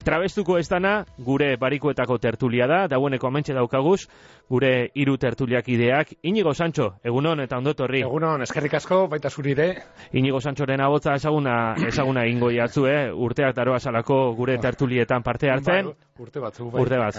Trabestuko ez dana, gure barikuetako tertulia da, dagoeneko amentxe daukaguz, gure hiru tertuliak ideak. Inigo Santxo, egunon eta ondotorri. Egunon, eskerrik asko, baita zurire. Inigo Santxoren abotza ezaguna ingo jatzu, urteak daroa salako gure tertulietan parte hartzen. Urte batzu,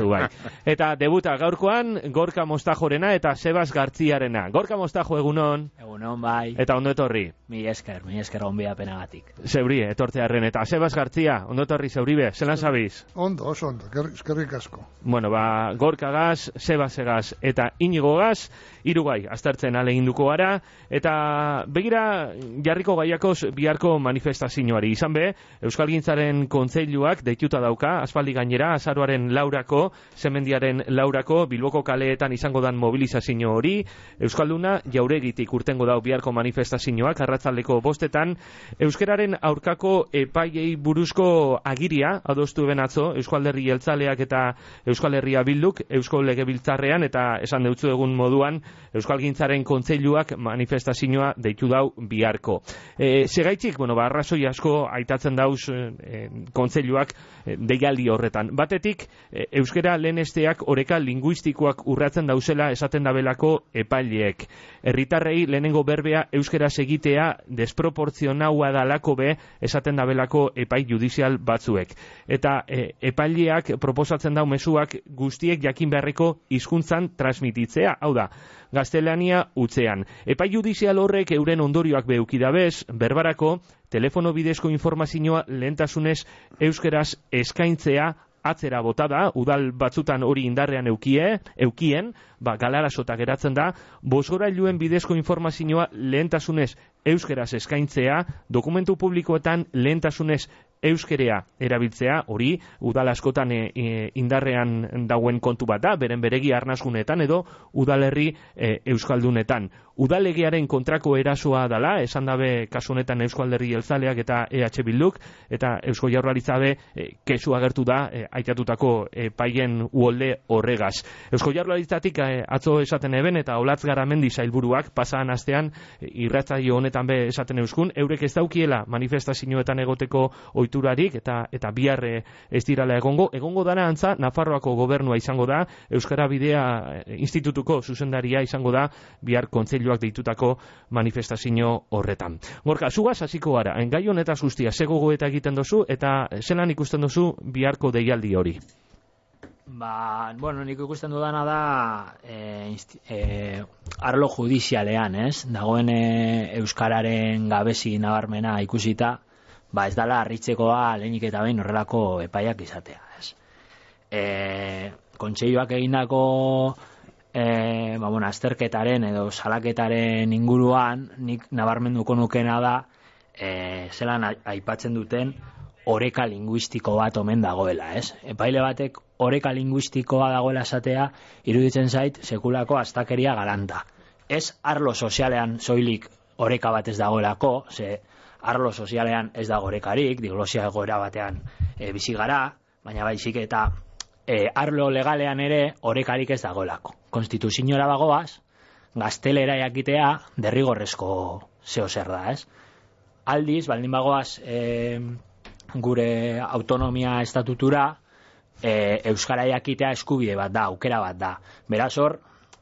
bai. Eta debuta gaurkoan, Gorka Mostajorena eta Sebas Gartziarena. Gorka Mostajo, egunon. Egunon, bai. Eta ondotorri. Mi esker onbia penagatik. Zeuri, etortzearren. Eta Sebas Gartzia, ondotorri zeuribe, zelan zabiz? Ondo, eskerrik asko. Bueno, Gorka gaz, Sebas egaz eta Inigo gaz, hirugai aztertzen ahaleginduko gara, eta begira jarriko gaiakoz biharko manifestazioari. Izan be, Euskalgintzaren Kontseiluak deituta dauka, aspaldi gainera, azaroaren 4ako, Semendiaren 4ako, Bilboko kaleetan izango dan mobilizazio hori, Euskalduna jauregitik urtengo dau biharko manifestazioak, arratzaldeko 5etan, euskararen aurkako epaiei buruzko agiria, adostu ben atzo, Euskal Herri Jeltzaleak eta Euskal Herria Bilduk, Eusko Legebiltzarrean, eta esan deutzu egun moduan, Euskalgintzaren Kontseiluak manifestazioa deitu dau biharko. Segaitzik, arrazoi asko aitatzen dauz Kontseiluak deialdi horretan. Batetik, euskara lehenesteak oreka linguistikoak urratzen dauzela esaten dabelako epaileek. Herritarrei lehenengo berbea euskaraz egitea desproportzionaua dalako be esaten dabelako epai judizial batzuek. Eta epaileak proposatzen dau mezuak guztiek jakin beharreko hizkuntzan transmititzea, hau da, gaztelania utzean. Epai judizial horrek euren ondorioak beukidabez, berbarako, telefono bidezko informazioa lehentasunez euskeraz eskaintzea atzera bota da, udal batzutan hori indarrean eukien, galarasota geratzen da, bozgorailuen bidezko informazioa lehentasunez euskeraz eskaintzea, dokumentu publikoetan lehentasunez euskerea erabiltzea, hori udal askotan indarrean dauen kontu bat da, beren beregi arnazgunetan edo udalerri euskaldunetan. Udalegearen kontrako erasoa dala, esan dabe kasu honetan Eusko Alderdi Jeltzaleak eta EH Bilduk, eta Eusko Jaurlaritza be kesu agertu da aitatutako paien uolde horregaz. Eusko Jaurlaritzatik atzo esaten eben eta Olatz Garamendi sailburuak pasadan astean irratsaio honetan be esaten euskun, eurek ez daukiela manifestazioetan egoteko ohiturarik eta bihar ez dirala egongo dana antza Nafarroako gobernua izango da, Euskara Bidea Institutuko zuzendaria izango da bihar kontseiluak deitutako manifestazio horretan. Gorka, zugaz hasiko gara, gai honetaz guztia, ze gogoeta egiten dozu eta zelan ikusten dozu biharko deialdi hori? Nik ikusten dudana da arlo judizialean, dagoen euskararen gabezi nabarmena ikusita, ez dala harritzekoa lehenik eta behin horrelako epaiak izatea, Kontseiluak egindako azterketaren edo salaketaren inguruan nik nabarmenduko nukena da zelan aipatzen duten oreka linguistiko bat omen dagoela, Epaile batek oreka linguistikoa dagoela esatea iruditzen zait sekulako astakeria galanta. Ez arlo sozialean soilik oreka bat ez dagoelako, arlo sozialean ez dago orekarik, diglosia egoera batean bizi gara, baina baizik eta arlo legalean ere orekarik ez dagoelako. Konstituziora bagoaz, gaztelera jakitea derrigorrezko zeo zer da, Aldiz, baldin bagoaz gure autonomia estatutura, euskara jakitea eskubide bat da, aukera bat da. Beraz hor,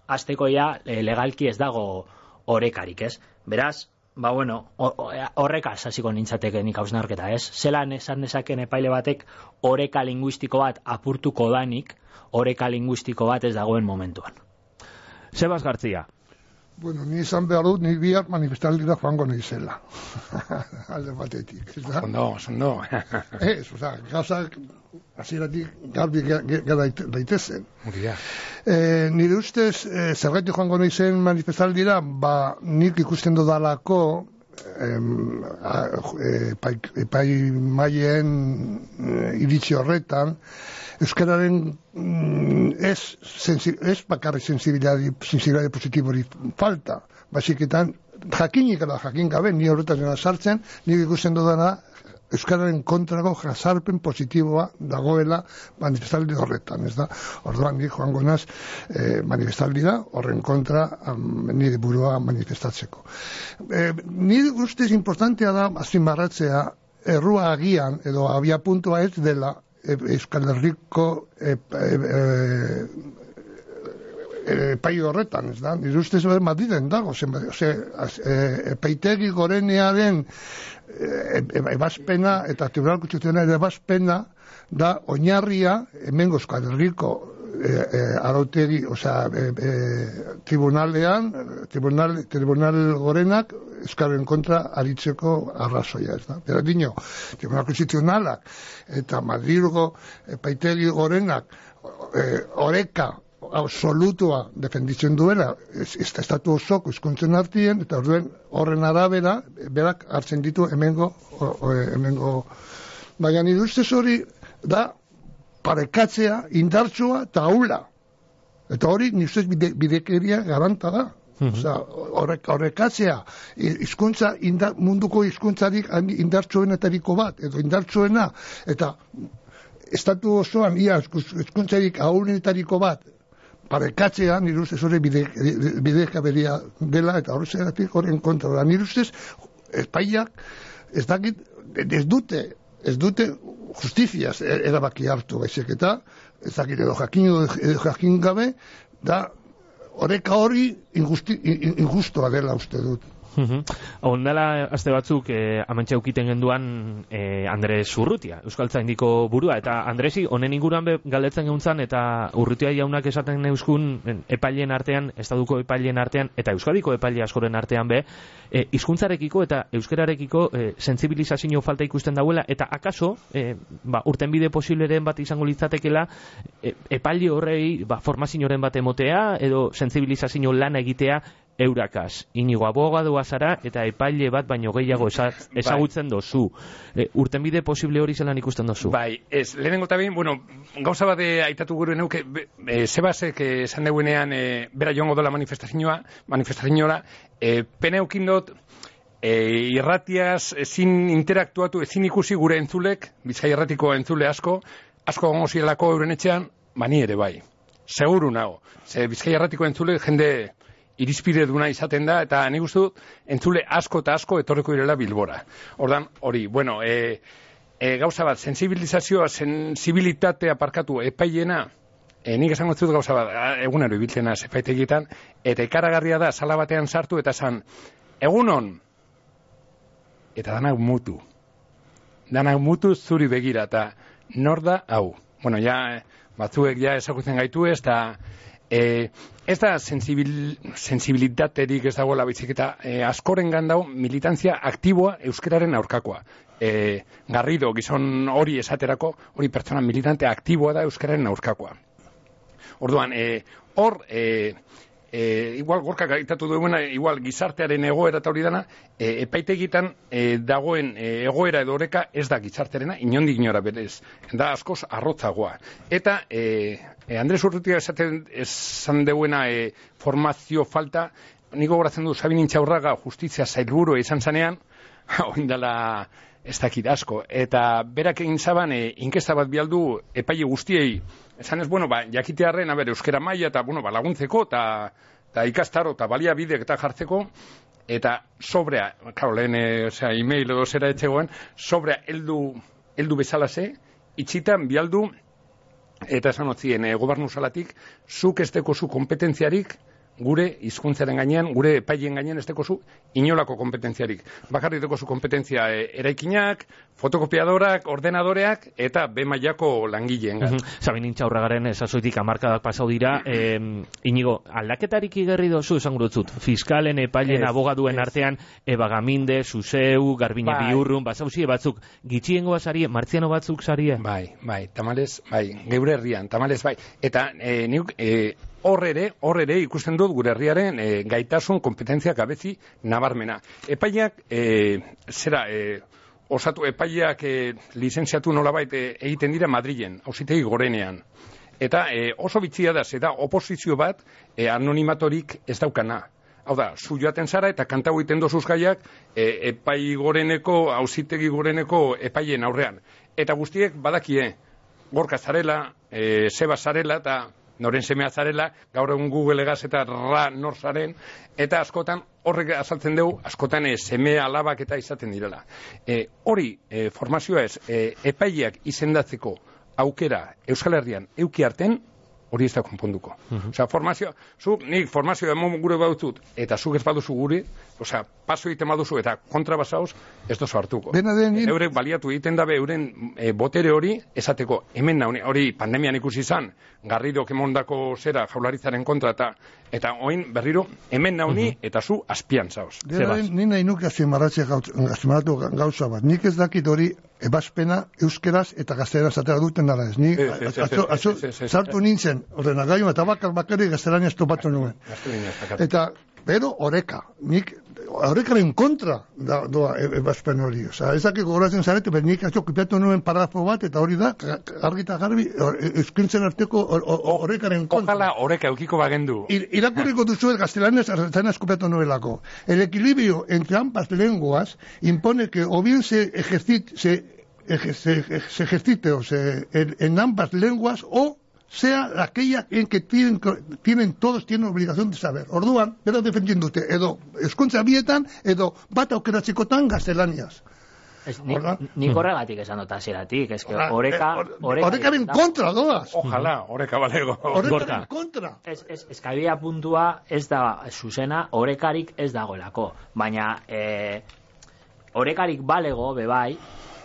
hasteko legalki ez dago orekarik, Beraz, horrekaz hasiko nintzateke nik hausnarketa, Zelan esan dezaken epaile batek oreka linguistiko bat apurtuko danik, oreka linguistiko bat ez dagoen momentuan. Sebas Gartzia. Ni izan behar dut, ni bihar manifestaldira joango nizela. Alde batetik. Ondo. Gauzak hasieratik garbi gara daitezen. Nire ustez, zergatik joango nizen manifestaldira, nik ikusten dudalako epaimahien iritzi horretan, euskararen ez bakarrik sensibilitate positibori falta, basiketan jakinik ala jakin gabe, ni horretan sartzen, nik ikusten dudana euskararen kontrako jazarpen positiboa dagoela manifestaldi horretan, Orduan nik joango naz manifestaldira horren kontra nire burua manifestatzeko. Nire ustez importantea da azpimarratzea errua agian edo abia puntua ez dela Euskal Herriko epai horretan, ez da? Nire ustez Madriden dago, epaitegi gorenearen ebazpena eta Tribunal Konstituzionalaren ebazpena da oinarria hemengo Euskal Herriko arautegi, tribunal gorenak Euskararen kontra aritzeko arrazoia, ez da? Bera dino, Tribunal Konstituzionalak eta Madrilgo epaitegi gorenak oreka absolutua defenditzen duela estatu osoko hizkuntzen artien, eta horren arabera berak hartzen ditu hemengo baina nire ustez hori da parekatzea indartsua eta ahula, eta hori nire ustez bidekeria garanta da. Horrekatzea hizkuntza munduko hizkuntzarik indartsuenetariko bat, edo indartsuena, eta estatu osoan ia hizkuntzarik ahulenetariko bat parekatzea, nire ustez hori bidekaberia dela, eta horrezagatik horren kontra da. Nire ustez espaiak ez dute justiziaz erabaki hartu, baizik eta ez dakit edo jakin gabe da oreka hori injustua dela uste dut. Ondala aste batzuk amantxe aukiten genduan Andres Urrutia, Euskaltzaindiko burua, eta Andresi honen inguruan galdetzen geuntzan, eta Urrutia jaunak esaten euskun epaileen artean, estaduko epaileen artean, eta euskadiko epaile askoren artean hizkuntzarekiko eta euskararekiko sentsibilizazio falta ikusten dauela, eta akaso urtenbide posibleren bat izango litzatekela epaile horrei formazioren bat emotea edo sentsibilizazio lana egitea eurakaz. Inigo abogadoa zara eta epaile bat baino gehiago ezagutzen dozu. Urtenbide posible hori zelan ikusten dozu? Bai, ez, lehenengo eta behin, gauza bat aitatu gure neuke, Sebasek esan deuenean bera joango dola manifestazioa, pena eukin dut, irratiaz ezin interaktuatu, ezin ikusi gure entzulek, Bizkai Irratiko entzule asko gongo zirelako euren etxean, bani ere bai. Seguru nago. Bizkai Irratiko entzule jende irizpide duna izaten da, eta nik uste dut entzule asko eta asko etorreko direla Bilbora. Ordan hori, gauza bat, sensibilitatea parkatu epaiena, nik esango dut gauza bat, egunero ibiltzena epaitegietan, eta ikaragarria da, sala batean sartu, eta esan, egunon, eta danak mutu zuri begira, eta nor da hau. Batzuek ezagutzen gaitu ez, eta ez da sensibilitaterik ez dagoela baizik, eta askoren gandau militantzia aktiboa euskararen aurkakoa. Garrido, gizon hori esaterako, hori pertsona militante aktiboa da euskararen aurkakoa. Orduan, igual gorkak aitatu duena, igual gizartearen egoera eta hori dana, epaitegitan dagoen egoera edo oreka ez da gizartearena, inondik inora berez, da askoz arrotzagoa. Eta Andres Urrutia esan deuena formazio falta, niko goratzen du Sabin Intxaurraga justizia sailburu izan zanean, oindala ez dakit asko, eta berak egin zaban inkesta bat bialdu epaile guztiei, esan ez, jakitearren, euskera maila eta laguntzeko, eta ikastaro, eta baliabidek eta jartzeko, eta sobrea, lehen, e-mail edo zera etxegoen, sobrea heldu bezalase, itxitan bialdu, eta esan otzien, gobernu salatik, zuk ez dekozu kompetentziarik, gure hizkuntzaren gainean, gure epaileen gainean ez dekozu inolako kompetentziarik. Bakarrik dekozu kompetentzia eraikinak, fotokopiadorak, ordenadoreak, eta B-mailako langileen. Sabin Intxaurragaren esazoitik hamarkadak pasau dira, Inigo, aldaketarik igerri dozu esan gurutzut, fiskalen, epaileen, abogaduen artean, Eba Gaminde, Zuzeu, Garbine Biurrun, basauzie batzuk, gitxiengoa zarie, martziano batzuk zarie? Bai, tamales, geure herrian, tamales, eta niuk, hor ere ikusten dut gure herriaren gaitasun kompetentzia gabezi nabarmena. Epaileak osatu epaileak lizentziatu nolabait egiten dira Madrilen, auzitegi gorenean. Eta oso bitxia da, zeda oposizio bat anonimatorik ez daukana. Hau da, zu joaten zara eta kantau egiten dozuz gaiak epai goreneko, auzitegi goreneko epaileen aurrean. Eta guztiek badakie, Gorka zarela, Seba zarela eta noren semea zarela, gaur egun Google egaz eta nor zaren, eta askotan horrek azaltzen dugu, askotan seme alabak eta izaten direla. Hori formazioa ez, epaileak izendatzeko aukera Euskal Herrian euki arten, hori ez da konponduko. Osea, nik formazioa emon gure bautut, eta zuk ez baduzu guri, osea, paso egiten baduzu, eta kontra basauz, ez dozu hartuko. Eurek baliatu egiten dabe, euren botere hori, esateko, hemen nauni, hori pandemian ikusi izan, Garridok emondako zera Jaurlaritzaren kontra, eta oin berriro, hemen nauni, eta zu azpian zauz. Ni nahi nuke azpimarratu gauza bat. Nik ez dakit hori ebazpena euskeraz eta gazteleraz atera duten dara ez. Ni sartu nintzen ordenagailu eta bakarrik gaztelaniaz topatu nuen. Eta, pero oreka. Nik orekaren kontra doa ebazpen hori. Osa, ez dakik gogoratzen zarete, pero nik kopiatu nuen paragrafo bat, eta hori da, argita garbi, euskintzen arteko orekaren kontra. Ojalá oreka eukiko bagendu. Irakurriko duzu gaztelaniaz kopiatu nuelako. El equilibrio entre ambas lenguas impone que o bien se ejercite en ambas lenguas o sea aquella en que todos tienen obligación de saber. Orduan, bera defendiendute, edo eskuntza bietan, edo bat aukeratzekotan gaztelaniaz. Nik horregatik esan dut hasieratik, eske orekaren kontra doaz. Ojalá, oreka balego. Orekaren kontra. Eskabia puntua ez da zuzena, orekarik ez dagoelako. Baina, orekarik balego, bebai,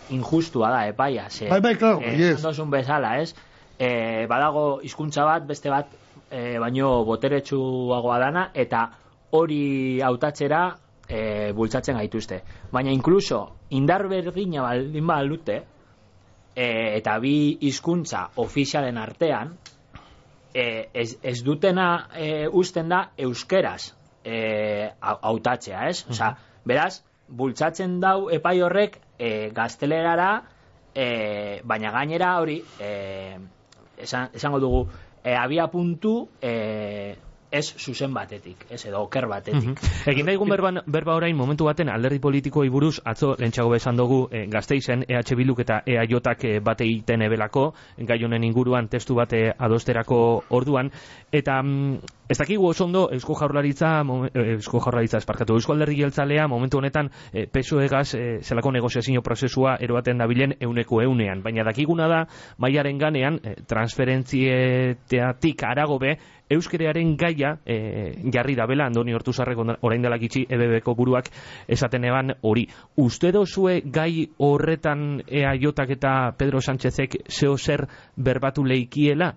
injustua da, epaia. Bai, claro, yes. Dozun bezala, ez? Badago hizkuntza bat, beste bat, baino boteretsuagoa dana, eta hori hautatzera bultzatzen gaituzte. Baina inkluso, indar berdina baldin badute, eta bi hizkuntza ofizialen artean, ez dutena uzten da euskeraz hautatzea, ez? Osea, beraz, bultzatzen dau epai horrek gaztelerara, baina gainera hori, esango dugu, abia puntu ez zuzen batetik, ez edo oker batetik. Egin daigun berba orain momentu baten alderdi politikoei buruz, atzo lentsago esan dugu Gasteizen EH Bilduk eta EAJak bate egiten ebelako, gai honen inguruan testu bate adosterako orduan, eta ez dakigu oso ondo Eusko Jaurlaritza Eusko Alderdi Jeltzalea momentu honetan PSOE-gaz zelako negoziazio prozesua eroaten dabilen 100%, baina dakiguna da mailaren ganean transferentzietatik aragobe euskerearen gaia jarri dabela, Andoni Ortuzarrek orain dela gitxi EBBko buruak esaten eban hori. Uste dozue gai horretan EAJak eta Pedro Sánchezek zeo zer berbatu leikiela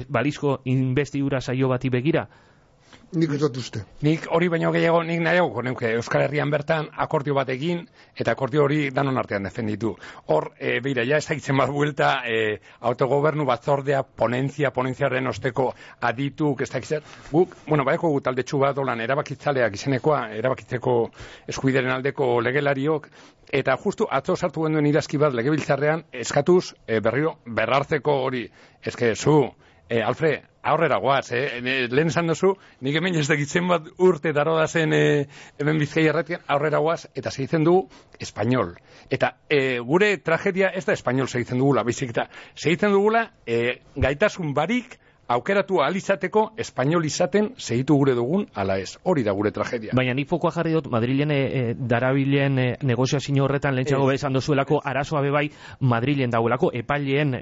balizko investidura saio bati begira? Nik ez dut uste. Nik hori baino gehiago, nik nahiago neuke Euskal Herrian bertan akordio bat egin, eta akordio hori danon artean defenditu. Hor, beira, ja ezagitzen bat buelta, autogobernu batzordea, ponentziaren osteko adituk, ez dakitzen. Guk, baeko gu taldetxu bat olan erabakitzaleak izenekoa, erabakitzeko eskubideren aldeko legelariok, eta justu atzo sartu genduen idazki bat legebiltzarrean, eskatuz berriro berrartzeko hori, eske zu, Alfred, aurrera goaz, lehen esan duzu, nik hemen ez dakitzen bat urte daro da zen hemen Bizkaia erratian, aurrera goaz, eta segitzen dugu espainol. Eta gure tragedia ez da espainol segitzen dugula, bizik eta segitzen dugula gaitasun barik aukeratu ahal izateko espainol izaten segitu gure dugun ala ez. Hori da gure tragedia. Baina nik fokoa jarri dut Madrilen darabilen negoziazio horretan lehentxago esan dozuelako arazoa bebai Madrilen dauelako epaileen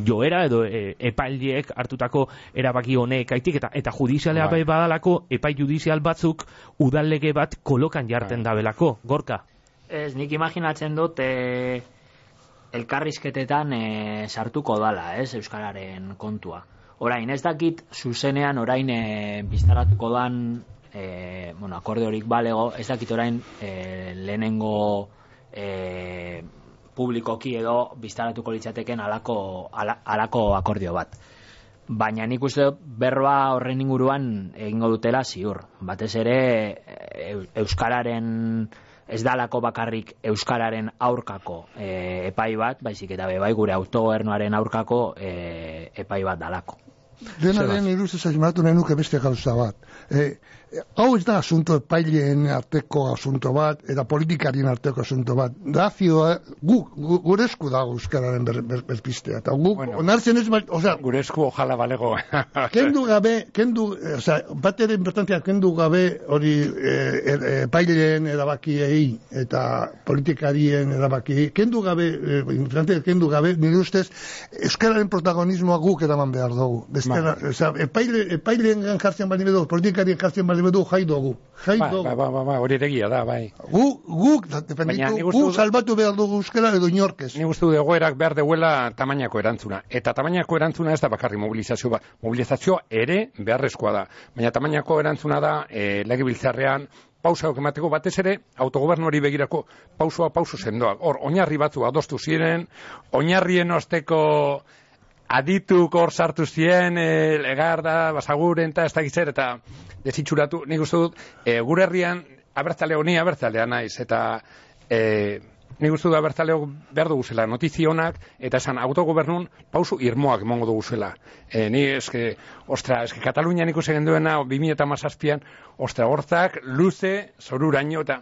joera edo epaileek hartutako erabaki honek aitik eta judizialea bai badalako epai judizial batzuk udallege bat kolokan jarten dabelako. Gorka? Ez, nik imaginatzen dut elkarrizketetan sartuko dala, ez, euskararen kontua. Orain, ez dakit zuzenean orain biztaratuko dan akordeorik balego, ez dakit orain lehenengo publikoki edo biztaratuko litzateken alako akordio bat. Baina nik uste berba horren inguruan egingo dutela ziur. Batez ere euskararen ez dalako bakarrik euskararen aurkako epai bat, baizik eta bai gure autogobernuaren aurkako epai bat dalako. Dena den iruz ez azimatu nahi nuke beste gauza bat. hau ez da asunto epaileen arteko asunto bat, eta politikarien arteko asunto bat. Dazioa, gure esku dago euskararen berpistea. Eta guk, onartzen ez, gure esku ojala balego. Kendu gabe, bat ere importantea, kendu gabe hori epaileen erabakiei eta politikarien erabakiei, kendu gabe, nire ustez, euskararen protagonismoa guk eraman behar dugu. Epaileen jartzen bali bedu, politikarien jartzen bali bedu, jai dugu. Hori eregia da, bai. Guk salbatu behar dugu euskara edo inorkez. Ni guztu egoerak behar deuela tamainako erantzuna. Eta tamainako erantzuna ez da bakarri mobilizazio bat. Mobilizazioa ere beharrezkoa da. Baina tamainako erantzuna da legebiltzarrean pausa emateko batez ere autogobernuari begirako pauso sendoak. Hor, oinarri batzu adostu ziren, oinarrien osteko adituk hor sartu ziren, Legarda, Basaguren, eta ez dakitzer, eta desitxuratu, nik uste dut, gure herrian abertzalea naiz, eta nik uste dut abertzaleo behar duguzela notizionak, eta esan autogobernun pausu irmoak emongo duguzela. Ni eske Katalunian ikusi genduena 2017an, hortzak luze, zoruraino, eta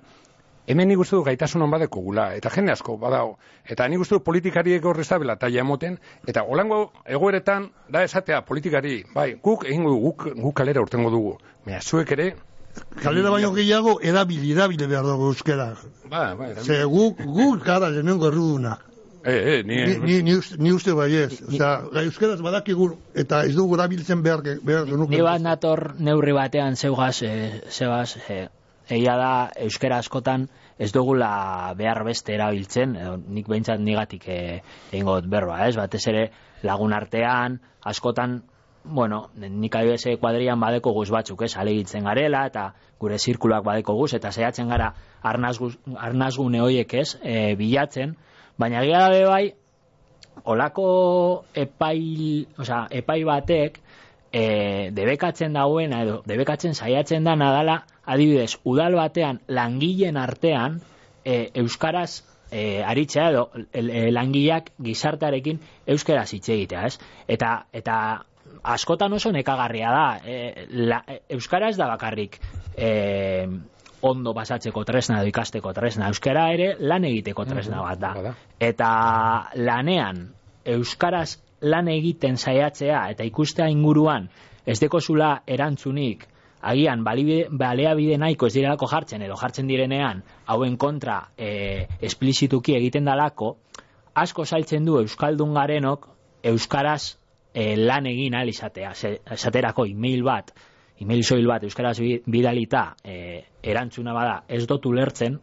hemen nik uste du gaitasun hon badeko gula, eta jende asko badao. Eta nik uste du politikariek horrezabela taia emoten, eta holango egoeretan da esatea politikari, bai, guk kalera urtengo dugu. Baina zuek ere... Kalera baino gehiago erabile behar dugu euskera. Ze guk gara lehenengo errudunak. Ni uste baiez. Euskeraz badakigu eta ez dugu erabiltzen behar genuke. Ni bat nator neurri batean zeugaz, egia da euskera askotan ez dugula behar beste erabiltzen, nik behintzat nigatik egingo berba, ez? Batez ere lagun artean, askotan, nik adibese kuadrian badeko guz batzuk, ez? Alegitzen garela, eta gure zirkuloak badeko guz, eta saiatzen gara arnazgune horiek, ez? Bilatzen, baina egia da bai, olako epai batek debekatzen dagoena edo debekatzen saiatzen da nadala, adibidez, udal batean langileen artean euskaraz aritzea edo langileak gizartearekin euskaraz hitz egitea, ez? Eta askotan oso nekagarria da. Euskara ez da bakarrik ondo pasatzeko tresna edo ikasteko tresna. Euskara ere lan egiteko tresna bat da. Eta lanean euskaraz lan egiten saiatzea eta ikustea inguruan ez dekozula erantzunik, agian baliabide nahiko ez direlako jartzen edo jartzen direnean hauen kontra esplizituki egiten dalako, asko zailtzen du euskaldun garenok euskaraz lan egin ahal izatea. Esaterako email soil bat euskaraz bidalita erantzuna bada ez dut ulertzen,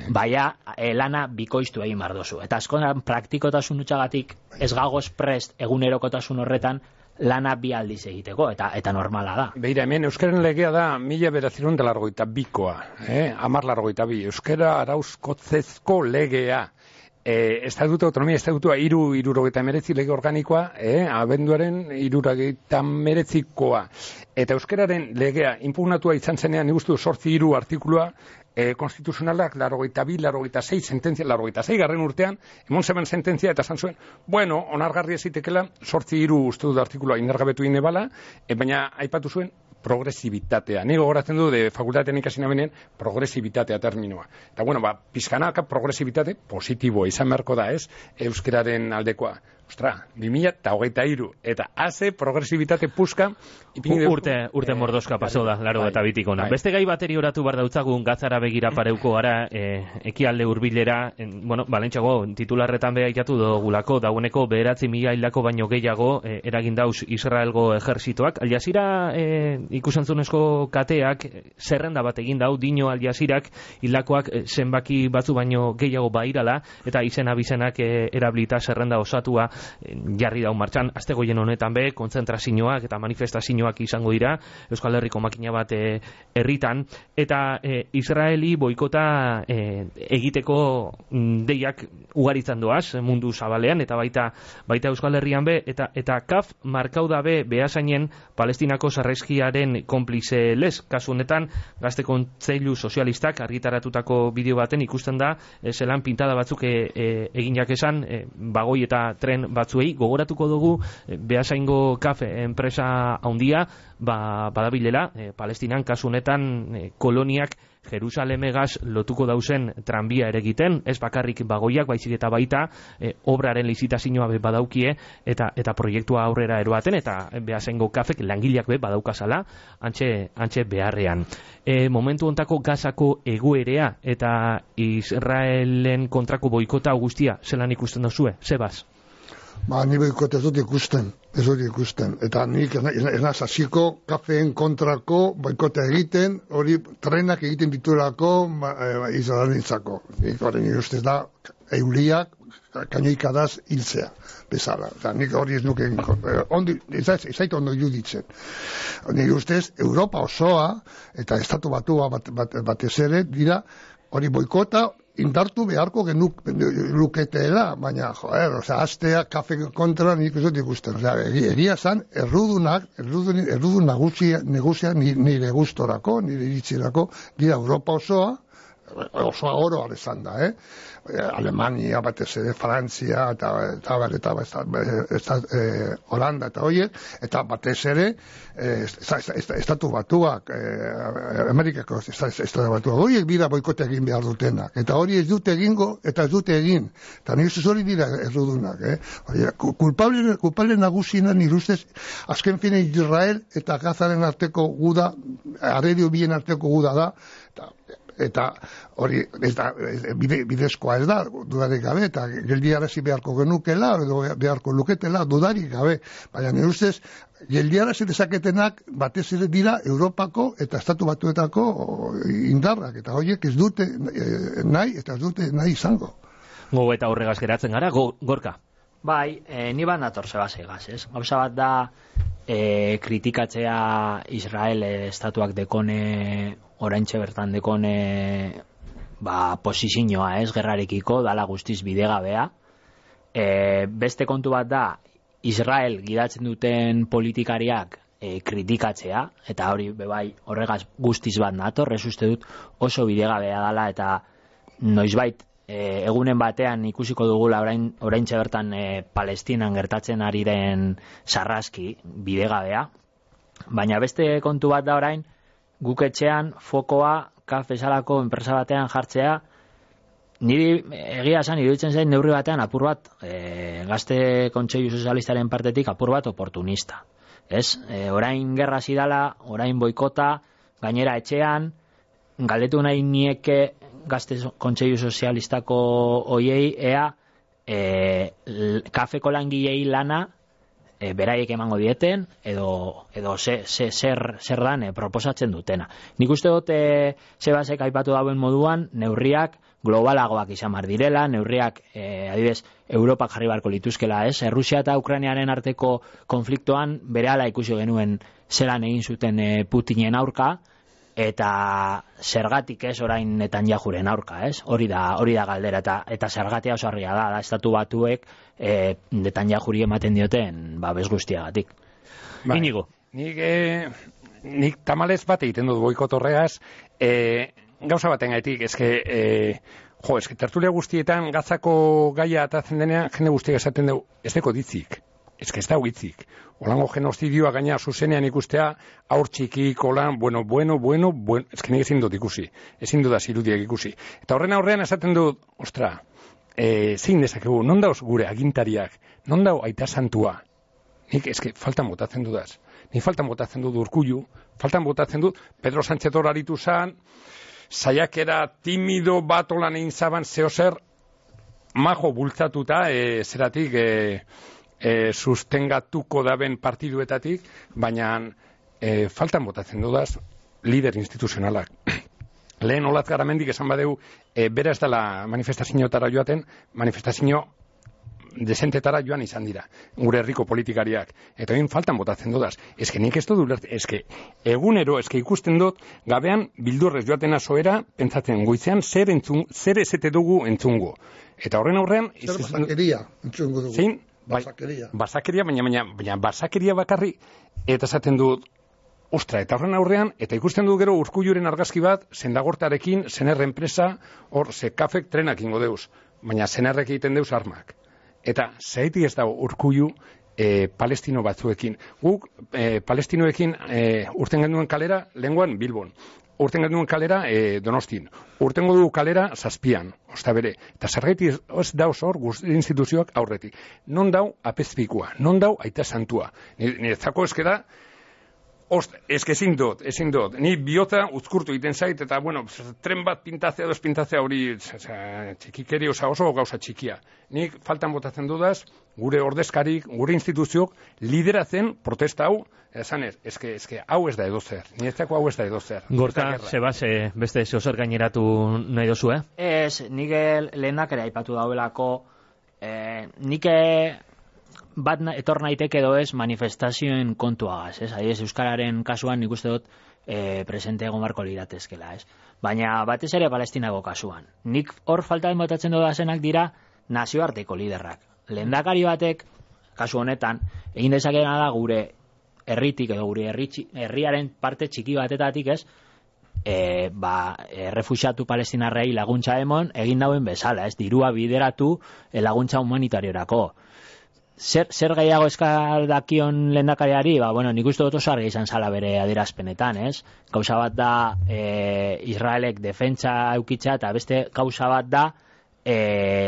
baina lana bikoiztu egin behar dozu. Eta askotan praktikotasun utxagatik ez gagoz prest egunerokotasun horretan lana bi aldiz egiteko, eta normala da. Beira, hemen euskaren legea da 1982koa, 1082. Euskara arauzkotzezko legea. Estatuto autonomia estatutua 379 lege organikoa, abenduaren 379koa. Eta euskararen legea inpugnatua izan zenean, nik uste 8 artikulua, konstituzionalak 82, sententzia, 86 garren urtean, emon zeben sententzia eta esan zuen, onargarri ezitekela, 8 uste dut artikulua indargabetu inebala, baina aipatu zuen progresibitatea. Ni gogoratzen du de fakultatean ikasi nabenen progresibitatea terminoa. Eta pizkanaka progresibitate positiboa izan beharko da, ez? Euskararen aldekoa. Ostra, 2023 eta haze progresibitate puska urte mordoska paso da, laro eta bitikona. Beste gai bateri oratu bar dautzagun gatzara begira pareuko gara, ekialde hurbilera, balentxago titularretan beha itatu dugulako, dagoeneko 9.000 hildako baino gehiago eragin dauz Israelgo ejerzitoak. Al Jazeera ikusentzunezko kateak zerrenda bat egin dau, dino Al Jazeerak hildakoak zenbaki batzu baino gehiago bairala, eta izena bizenak erabilita zerrenda osatua jarri dau martxan. Astegoien honetan be, kontzentrazioak eta manifestazioak izango dira Euskal Herriko makina bat herritan, eta Israeli boikota egiteko deiak ugaritzen doaz mundu zabalean, eta baita Euskal Herrian be, eta kaf markau dabe behasainen Palestinako sarrezkiaren konplize lez. Kasu honetan, Gazte Kontseilu Sozialistak argitaratutako bideo baten ikusten da zelan pintada batzuk eginak esan, bagoi eta tren diren batzuei, gogoratuko dugu Beasaingo kafe enpresa handia badabilela, Palestinan kasu honetan koloniak Jerusalemegaz lotuko dauzen tranbia ere egiten, ez bakarrik bagoiak, baizik eta baita obraren lizitazioa badaukie eta proiektua aurrera eroaten, eta Beasaingo kafek langileak badaukazala antxe beharrean. Momentu hontako Gazako egoerea eta Israelen kontrako boikota guztia zelan ikusten duzue, Sebas? Ni boikota ez dut ikusten. Eta nik ez naz hasiko kafeen kontrako boikota egiten, hori trenak egiten ditulako Israelentzako. Nik hori ustez da euliak kainoikadaz hiltzea bezala. Nik hori ez nuke ez zait ondo iruditzen. Nik ustez Europa osoa eta estatu batua batez ere dira hori boikota indartu beharko luketela, baina, astea kafe kontra nik ez dut ikusten. Egia zan, errudun negusia nire gustorako, nire iritzirako, dira Europa osoa oro alezan da, Alemania, batez ere, Frantzia, eta Holanda, eta horiek, eta batez ere, estatu batuak, Amerikako estatu batuak, horiek bira boikote egin behar dutenak, eta hori ez dute egingo, eta ez dute egin, eta nire zuz hori dira errudunak, kulpable nagusina nire ustez, azken fine Israel eta Gazaren arteko guda, arredio bien arteko guda da, eta hori bidezkoa ez da, dudarik gabe, eta geldiarazi beharko genukela, edo beharko luketela, dudarik gabe, baina nire ustez, geldiarazi dezaketenak batez ere dira Europako eta Estatu Batuetako indarrak, eta horiek ez dute nahi, eta ez dute nahi izango. Gogo eta horregaz geratzen gara, Gorka? Bai, ni bat nator Sebasegaz, ez? Gauza bat da, kritikatzea Israel estatuak dekone, oraintxe bertan dekone posizioa, ez, gerrarekiko, dala guztiz bidegabea. Beste kontu bat da, Israel gidatzen duten politikariak kritikatzea, eta hori bebai horregaz guztiz bat nator, ez uste dut oso bidegabea dala, eta noizbait egunen batean ikusiko dugula oraintxe bertan Palestinan gertatzen ari den sarraski bidegabea, baina beste kontu bat da orain, guk etxean fokoa kafesalako enpresa batean jartzea, niri egia esan iruditzen zain neurri batean apur bat Gazte Kontseilu Sozialistaren partetik apur bat oportunista. Ez? Orain gerra zidala, orain boikota, gainera etxean, galdetu nahi nieke Gazte Kontseilu Sozialistako oiei ea kafeko langilei lana beraiek emango dieten edo zer dan proposatzen dutena. Nik uste dut Sebasek aipatu dauen moduan neurriak globalagoak izan bar direla, neurriak adibidez Europak jarri barko lituzkela, ez? Errusia eta Ukrainiaren arteko konfliktoan berehala ikusi genuen zelan egin zuten Putinen aurka, eta zergatik ez orain Netanyahuren aurka, ez? Hori da galdera, eta zergatia oso argia da Estatu Batuek Netanyahuri ematen dioten babes guztiagatik. Inigo. Nik tamalez bat egiten dut boikot horregaz, gauza baten gaitik, eske tertulia guztietan Gazako gaia atatzen denean, jende guztiak esaten dugu, ez deko ditzik. Ez da hitzik. Olango genozidioa gaina zuzenean ikustea, aur txikik, olan, bueno, nik ezin dut ikusi. Ezin dut irudiak ikusi. Eta horren aurrean esaten dut, ostra, zein dezakegu, non dauz gure agintariak, non dau aita santua. Nik faltan botatzen dudaz. Nik faltan botatzen dut Urkullu, faltan botatzen dut Pedro Sánchez horaritu zan, saiakera timido bat olan egin zaban zeozer, majo bultzatuta, zeratik, sustengatuko daben partiduetatik, baina faltan botatzen dudaz lider instituzionalak. Lehen Olatz Garamendik esan badeu, bera ez dela manifestazioetara joaten, manifestazio desentetara joan izan dira, gure herriko politikariak. Eta egin faltan botatzen dudaz. Nik ez dut ulertzen, egunero, ikusten dut, gabean bildurrez joatena zoera, pentsatzen goizean zer ezete dugu entzungo. Eta horren aurrean... Zer basakeria entzungo dugu. Zein? Basakeria, baina basakeria bakarri, eta esaten dut, ostra, eta horren aurrean, eta ikusten dut gero Urkulluren argazki bat, Sendagortarekin, Sener enpresa, hor, kafek trenak ingo deuz, baina Senerrek egiten deuz armak. Eta zaitik ez dago Urkullu palestino batzuekin. Guk palestinoekin urten genuen kalera lenguan Bilbon. Urten genuen kalera Donostin. Urtengo du kalera Zazpian, osta bere. Eta zergaitik ez dauz hor instituzioak aurretik. Non dau apezpikua, non dau aita santua. Niretzako eskeda, ezin dut. Ni bihotza uzkurtu egiten zait, eta, bueno, tren bat pintatzea, dos pintatzea hori txikikeri oso gauza txikia. Nik faltan botatzen dudaz, gure ordezkarik, gure instituziok, lideratzen protesta hau, esanez, eske hau ez da edozer. Niretzako hau ez da edozer. Gorka, Sebase, beste zeozer gaineratu nahi dozu, Ez, nik lehenak ere aipatu daudelako, nik bat etor naiteke edo ez manifestazioen kontuagaz, ez? Adibidez, euskararen kasuan nik uste dut presente egon barko liratezkela, ez? Baina batez ere Palestinako kasuan. Nik hor faltaden botatzen dodazenak dira nazioarteko liderrak. Lehendakari batek, kasu honetan, egin dezakena da gure herritik edo gure herriaren parte txiki batetatik, ez? Refuxiatu palestinarrei laguntza emon egin dauen bezala, ez? Dirua bideratu laguntza humanitariorako. Zer gehiago eskaldakion lehendakariari, nik uste dut oso argi izan zala bere adierazpenetan, ez? Gauza bat da Israelek defentsa eukitza, eta beste gauza bat da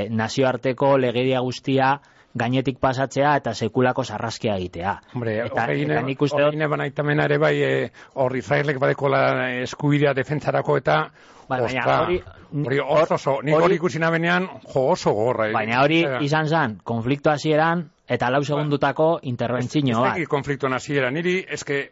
nazioarteko legedia guztia gainetik pasatzea eta sekulako sarraskia egitea. Hombre, horreine banaitamenare ere bai hor Israelek badekola eskubidea defentsarako eta hori oso, nik hori ikusi nabenean oso gorra. Baina hori izan zen, konflikto hasieran eta 4 segundutako interbentzio bat. Ez konflikto hasieran, niri eske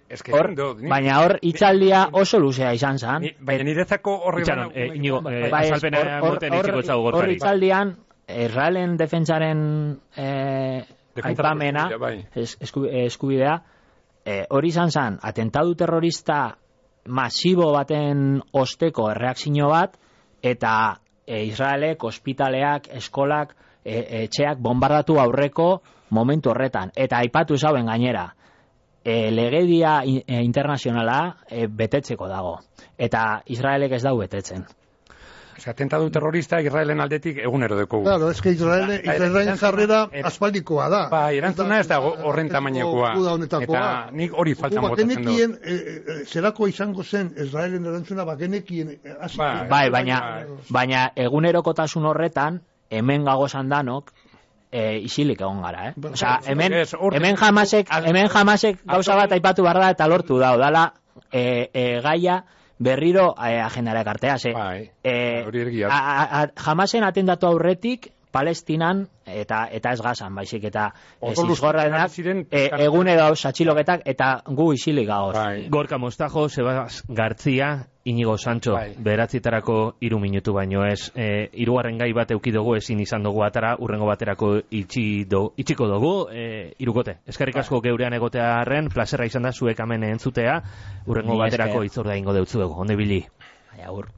baina hor hitzaldia oso luzea izan zen. Baina niretzako horri azalpena moten itxiko etzago Gorkari. Hor hitzaldian Israelen defentsaren aipamena, eskubidea, hori izan zen, atentadu terrorista masibo baten osteko erreakzio bat, eta Israelek, ospitaleak, eskolak, etxeak bombardatu aurreko momentu horretan. Eta aipatu zauen gainera, legedia internazionala betetzeko dago. Eta Israelek ez dau betetzen. Atentadu terrorista Israelen aldetik egunero dekogu. Claro, es que Israelen jarrera aspaldikoa da. Erantzuna ez da horren tamainekoa. Eta nik hori faltan botatzen du. Zerako izango zen Israelen erantzuna bagenekien. Baina egunerokotasun horretan, hemen gagozan danok, isilik egon gara, Osea, hemen jamasek gauza bat aipatu barra eta lortu dala gaia berriro agendara ekartea, jamasen atendatu aurretik Palestinan eta ez Gazan, baizik eta zizgorraenak egunero satxiloketak eta gu isilik gagoz. Gorka Mostajo, Sebas Gartzia, Inigo Sancho, beratzitarako 3 minutu baino ez. 3. gai bat eukidugu ezin izan dugu atara, urrengo baterako itxiko dugu, 3. Eskerrik asko geurean egotea arren, plazerra izan da zuek hemen entzutea, urrengo baterako itzorda ingo deutzu dugu. Onde bili. Agur.